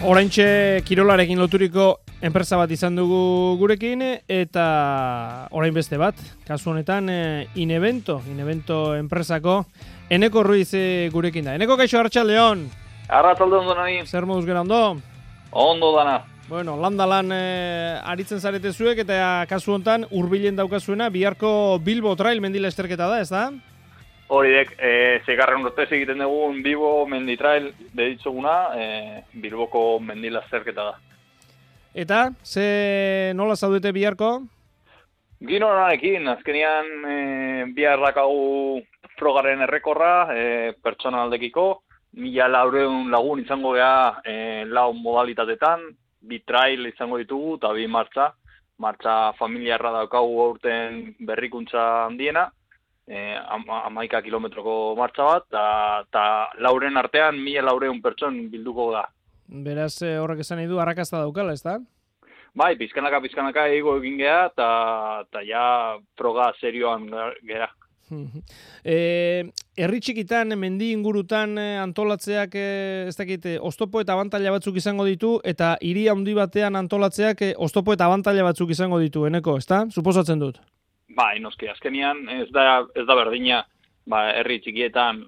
Oraintxe kirolarekin loturiko enpresa bat izan dugu gurekin eta orain beste bat, kasu honetan Inevento enpresako Eneko Ruiz gurekin da. Eneko, kaixo, arratsaldeon. Arratsalde ondo nahi. Zer moduz gera ondo? Ondo dana. Bueno, landalan aritzen zarete zuek eta kasu honetan hurbilen daukazuena biharko Bilbo Trail mendila esterketa da, ez da? Horidek, zegarren urtez egiten dugun Bilbo mendi trail deditzuguna, Bilboko mendila esterketa da. Eta, nola zaudete biharko? Gino honarekin, azkenian bihar dakagu frogaren errekorra, pertsonaldekiko, 1400 lagun izango gea 4 modalitatetan, 2 trail izango ditugu eta 2 martxa. Martxa familiarra daukagu aurten berrikuntza handiena, 11 kilometroko martxa bat, eta lauren artean 1400 pertson bilduko da. Beraz, horrek esan nahi du, arrakasta daukala, ez da? Bai, pizkanaka ego egin geha, eta ja froga serioan gera. Herri txikitan, mendi ingurutan antolatzeak, ez dakit, oztopo eta abantaila batzuk izango ditu, eta hiri handi batean antolatzeak oztopo eta abantaila batzuk izango ditu, Eneko, ez da? Suposatzen dut. Bai, noski, azkenian ez da berdina, herri txikietan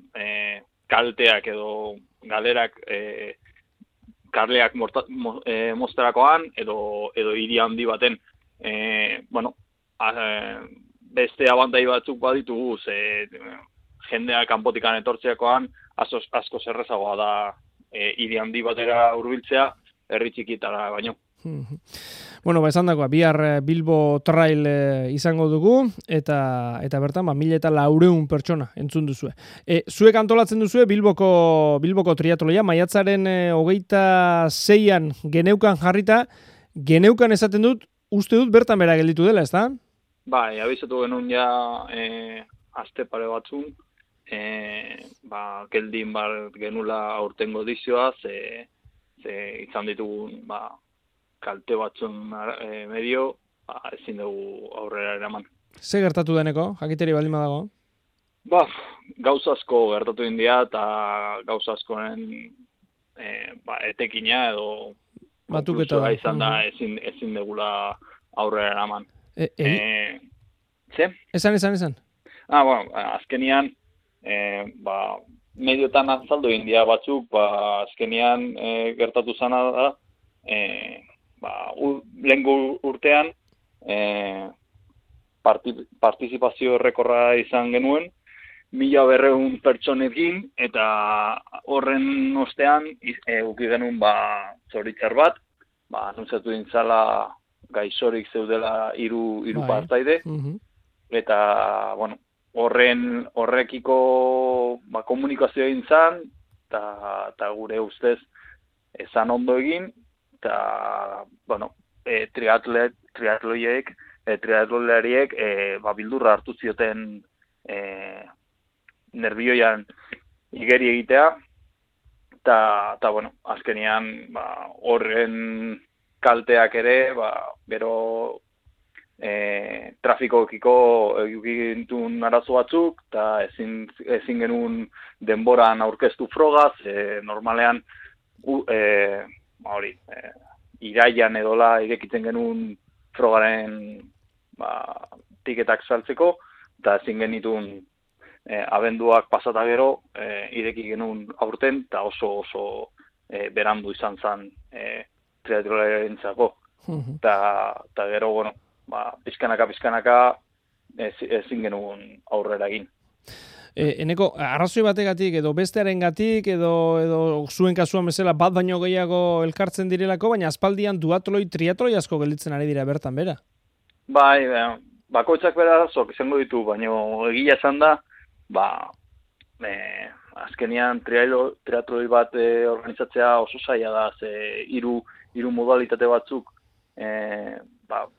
kalteak edo galerak karleak mozterakoan edo hiri handi baten beste abantai batzuk baditugu, jendeak kanpotikan etortzeakoan asko zerrezagoa da hiri handi batera hurbiltzea herri txikietara baino. Bueno, esan dagoa, bihar Bilbo Trail izango dugu, eta bertan, 1400 pertsona entzun duzue. Zuek antolatzen duzue Bilboko triatloia, maiatzaren 26an geneukan jarrita, geneukan esaten dut, uste dut bertan bera gelditu dela, ez da? Bai, abizatu genuen ja aste pare batzun, geldin genula aurtengo edizioa, izan ditugun, kalte batzun medio, ezin dugu aurrera eraman. Ze gertatu deneko, jakiteri baldin badago? Gauza asko gertatu india eta gauza askoren etekina edo konklusioa izan da ezin dugula aurrera eraman. Ze? Esan. Azkenian, mediotan azaldu india batzuk, azkenian gertatu zana da, lehengo urtean partizipazio errekorra izan genuen 1200 pertsonekin eta horren ostean eduki genuen zoritzar bat, anuntziatu dintzala gaixorik zeudela hiru partaide, eta horrekiko komunikazioa egin zan, eta gure ustez ezan ondo egin, eta, triatlolariek bildurra hartu zioten nerbioian igeri egitea, eta, azkenian, horren kalteak ere, gero trafikokiko egintun arazo batzuk, eta ezin genuen denboran aurkeztu frogaz, normalean, iraian edola irekitzen genuen frogaren tiketak saltzeko, eta ezin genitun abenduak pasata gero ireki genuen aurten, eta oso berandu izan zen triatlolarentzako. Eta gero, pizkanaka ezin genuen aurrera egin. Eneko, arrazoi bategatik edo bestearengatik edo zuen kasuan bezala bat baino gehiago elkartzen direlako, baina aspaldian triatloi asko gelditzen ari dira bertan bera. Bai, bakoitzak bera arazok izango ditu, baina egia esan da, azkenian triatloi bat organizatzea oso zaila da, hiru modalitate batzuk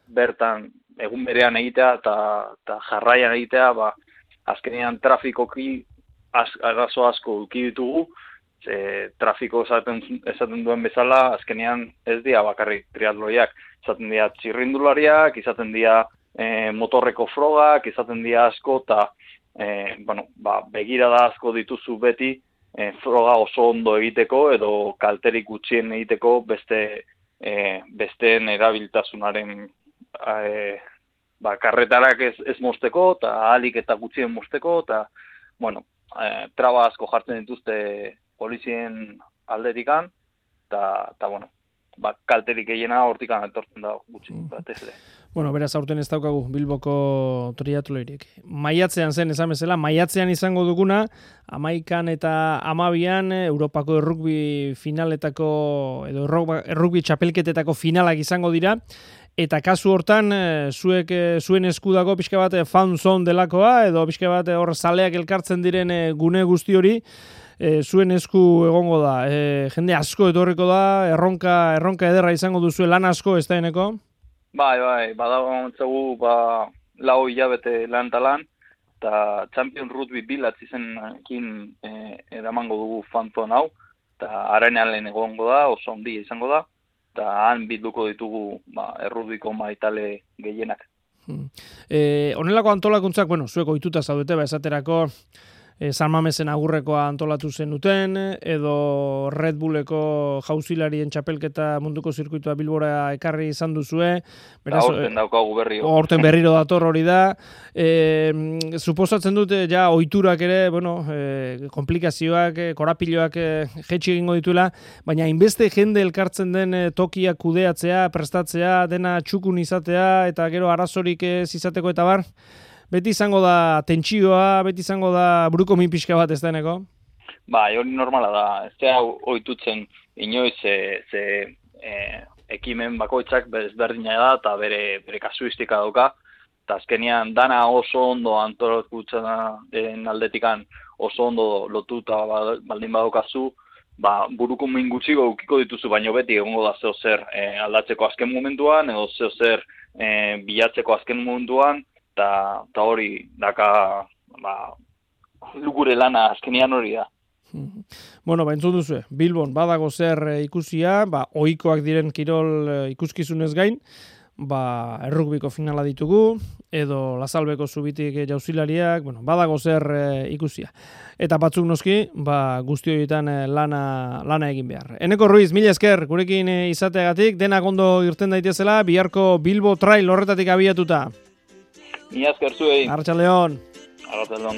bertan egun berean egitea eta jarraian egitea, azkenean trafikoki arazo asko eduki ditugu, trafiko esaten duen bezala, azkenean ez dira bakarrik triatloiak, izaten dira txirrindulariak, izaten dira motorreko frogak, izaten dira asko, eta begirada asko dituzu beti froga oso ondo egiteko edo kalterik gutxien egiteko besteen erabiltasunaren karretarak ez mozteko, eta ahalik eta gutxien mozteko, eta, bueno, traba asko jartzen dituzte polizien aldetikan, eta bueno, kalterik gehiena hortikan etortzen da gutxi, batez ere. Bueno, beraz, aurten ez daukagu Bilboko triatloirik. Maiatzean zen, esan bezala, maiatzean izango duguna, 11 eta 12 Europako errugbi finaletako, edo errugbi txapelketetako finalak izango dira, eta kasu hortan, zuen eskudago pixka bat fan zone delakoa, edo pixka bat hor zaleak elkartzen diren gune guzti hori, zuen esku egongo da. Jende asko etorriko da, erronka ederra izango duzu, lan asko ez da eneko? Bai, badago entzagu, 4 hilabete lan eta lan, eta Champion Rugby bilatz izenekin eramango dugu fanzon hau, eta arenean lehen egongo da, oso ondia izango da, eta han bilduko ditugu errudiko maitale gehienak. Honelako antolakuntzak, bueno, zuek ohituta zaudete, esaterako, San Mamesen agurrekoa antolatu zenuten, edo Red Bulleko jauzilarien txapelketa munduko zirkuitua Bilbora ekarri izan duzue. Horten daukagu berriro. Horten berriro dator hori da. Suposatzen dute, ja, ohiturak ere, bueno, komplikazioak, korapiloak jetxi egingo dituela, baina hainbeste jende elkartzen den tokiak kudeatzea, prestatzea, dena txukun izatea, eta gero arazorik ez izateko eta bar, beti izango da tentsioa, beti izango da buruko min pixka bat ez deneko? Hori normala da. Ez da ohitutzen inoiz ekimen bakoitzak ezberdina da eta bere kasuistika dauka. Eta azkenean dana oso ondo antolakutzen aldetikan oso ondo lotuta baldin badaukazu, buruko min gutxiko ukiko dituzu, baino beti egongo da zeo zer aldatzeko azken momentuan, edo zeo zer bilatzeko azken momentuan, eta hori daka gure lana azkenian hori da. Bueno, entzun duzue, Bilbon badago zer ikusia, ohikoak diren kirol ikuskizunez gain, errugbiko finala ditugu, edo Lazalbeko zubitik jauzilariak, badago zer ikusia. Eta batzuk noski, guzti horietan lana egin behar. Eneko Ruiz, mila esker, gurekin izateagatik, denak ondo irten daitezela, biharko Bilbo Trail horretatik abiatuta. Mila esker zuei. Arratsaldeon. Arratsaldeon.